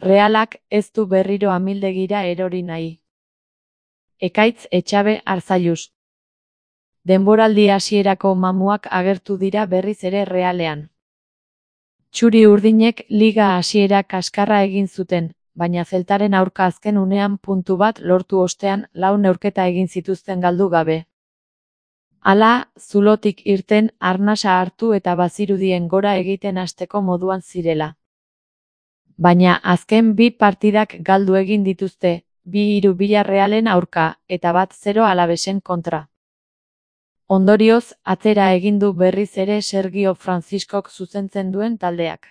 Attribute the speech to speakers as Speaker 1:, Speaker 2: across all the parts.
Speaker 1: Realak ez du berriro amildegira erori nahi. Ekaitz Etxabe Arzallus. Denboraldi hasierako mamuak agertu dira berriz ere Realean. Txuri urdinek liga hasiera kaskarra egin zuten, baina Zeltaren aurka azken unean puntu bat lortu ostean 4 neurketa egin zituzten galdu gabe. Hala, zulotik irten arnasa hartu eta bazirudien gora egiten hasteko moduan zirela. Baina azken 2 partidak galdu egin dituzte, 2-3 Villarrealen aurka, eta 1-0 Alavesen kontra. Ondorioz, atzera egin du berriz ere Sergio Franciscok zuzentzen duen taldeak.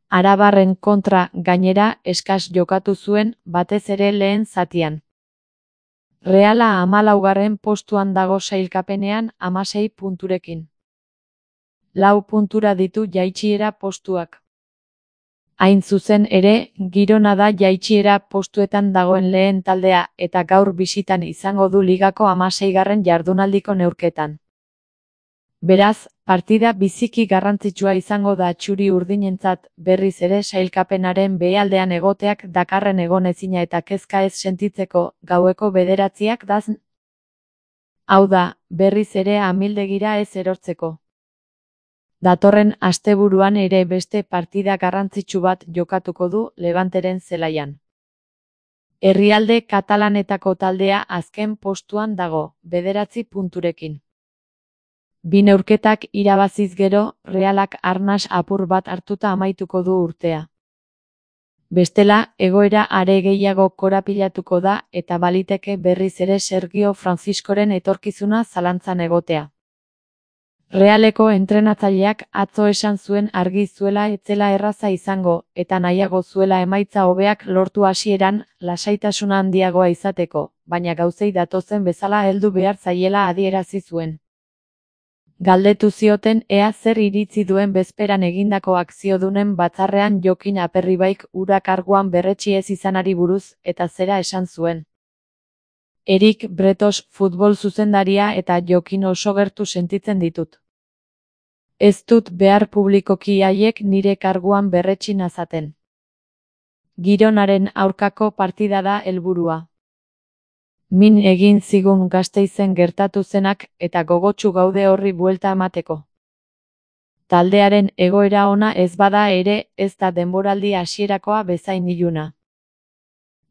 Speaker 1: Arabarren kontra, gainera, eskas jokatu zuen, batez ere lehen zatian. Reala 14. postuan dago sailkapenean 16 punturekin. 4 puntura ditu jaitsiera postuak. Hain zuzen ere, Girona da jaitsiera postuetan dagoen lehen taldea eta gaur bisitan izango du ligako 16. jardunaldiko neurketan. Beraz, partida biziki garrantzitsua izango da txuri urdinentzat, berriz ere sailkapenaren behealdean egoteak dakarren egonezina eta kezka ez sentitzeko, gaueko 9:00 dazn. Hau da, berriz ere amildegira ez erortzeko. Datorren asteburuan ere beste partida garrantzitsu bat jokatuko du Levanteren zelaian. Herrialde katalanetako taldea azken postuan dago, 9 punturekin. 2 neurketak irabaziz gero, Realak arnas apur bat hartuta amaituko du urtea. Bestela, egoera are gehiago korapilatuko da eta baliteke berriz ere Sergio Franciscoren etorkizuna zalantzan egotea. Realeko entrenatzaileak atzo esan zuen argi zuela ez zela erraza izango eta nahiago zuela emaitza hobeak lortu hasieran lasaitasuna handiagoa izateko, baina gauzei datozen bezala heldu behar zaiela adierazi zuen. Galdetu zioten ea zer iritzi duen bezperan egindako akziodunen batzarrean Jokin Aperribaik hura karguan berretsi ez izanari buruz eta zera esan zuen. Erik Bretos futbol zuzendaria eta Jokin oso gertu sentitzen ditut. Ez dut behar publikoki haiek nire karguan berretsi nazaten. Gironaren aurkako partida da helburua. Min egin zigun Gasteizen gertatu zenak eta gogotsu gaude horri buelta emateko. Taldearen egoera ona ez bada ere ez da denboraldi hasierakoa bezain iluna.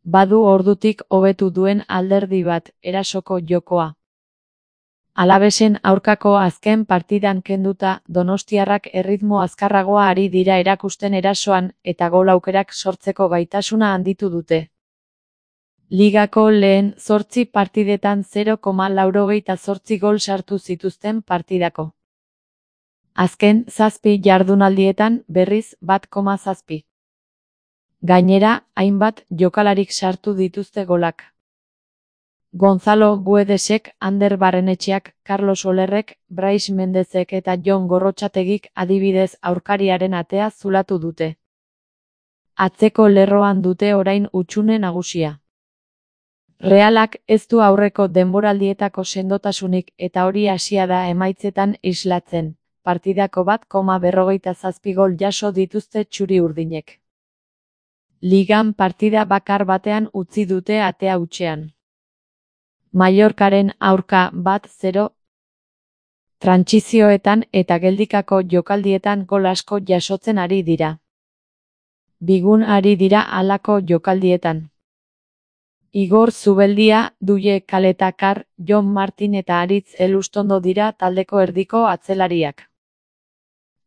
Speaker 1: Badu ordutik hobetu duen alderdi bat, erasoko jokoa. Alavesen aurkako azken partidan kenduta, donostiarrak erritmo azkarragoa ari dira erakusten erasoan eta gol aukerak sortzeko gaitasuna handitu dute. Ligako lehen 8 partidetan 0,88 gol sartu zituzten partidako. Azken 7 jardunaldietan berriz 1,7. Gainera, hainbat jokalarik sartu dituzte golak. Gonzalo Guedesek, Ander Barrenetxeak, Carlos Olerrek, Brais Mendezek eta Jon Gorrotxategik adibidez aurkariaren atea zulatu dute. Atzeko lerroan dute orain hutsune nagusia. Realak ez du aurreko denboraldietako sendotasunik eta hori hasia da emaitzetan islatzen, partidako 1,47 gol jaso dituzte txuri urdinek. Ligan partida bakar batean utzi dute atea hutsean. Mallorcaren aurka 1-0. Trantsizioetan eta geldikako jokaldietan gol asko jasotzen ari dira. Bigun ari dira halako jokaldietan. Igor Zubeldia, Duje Kaletakar, Jon Martin eta Aritz Elustondo dira taldeko erdiko atzelariak.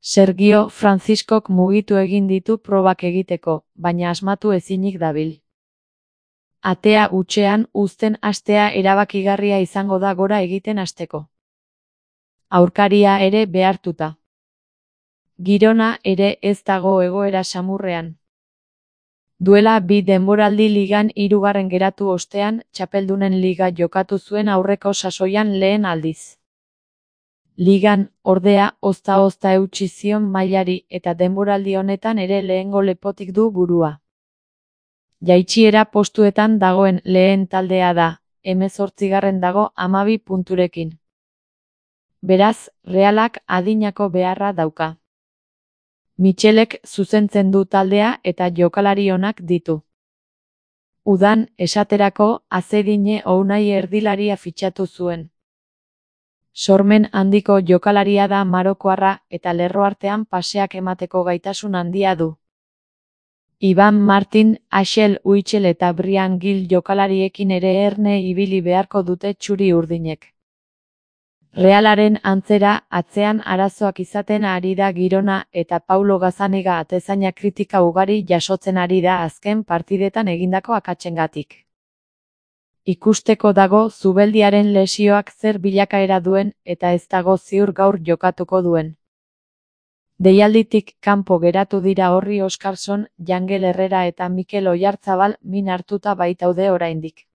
Speaker 1: Sergio Franciscok mugitu egin ditu probak egiteko, baina asmatu ezinik dabil. Atea hutsean uzten hastea erabakigarria izango da gora egiten hasteko. Aurkaria ere behartuta. Girona ere ez dago egoera samurrean. Duela 2 denboraldi ligan 3. geratu ostean, txapeldunen liga jokatu zuen aurreko sasoian lehen aldiz. Ligan, ordea, ozta-ozta eutsi zion mailari eta denboraldi honetan ere lehengo lepotik du burua. Jaitsiera postuetan dagoen lehen taldea da, 18. dago 12 punturekin. Beraz, Realak adinako beharra dauka. Michelek zuzentzen du taldea eta jokalari onak ditu. Udan, esaterako, Azedine Ounahi erdilaria fitxatu zuen. Sormen handiko jokalaria da marokoarra eta lerro artean paseak emateko gaitasun handia du. Iban Martin, Axel Witsel eta Brian Gill jokalariekin ere erne ibili beharko dute txuri urdinek. Realaren antzera, atzean arazoak izaten ari da Girona eta Paulo Gazzaniga atezaina kritika ugari jasotzen ari da azken partidetan egindako akatsengatik. Ikusteko dago Zubeldiaren lesioak zer bilakaera duen eta ez dago ziur gaur jokatuko duen. Deialditik kanpo geratu dira Orri Oskarson, Jangel Herrera eta Mikel Oyarzabal min hartuta baitaude oraindik.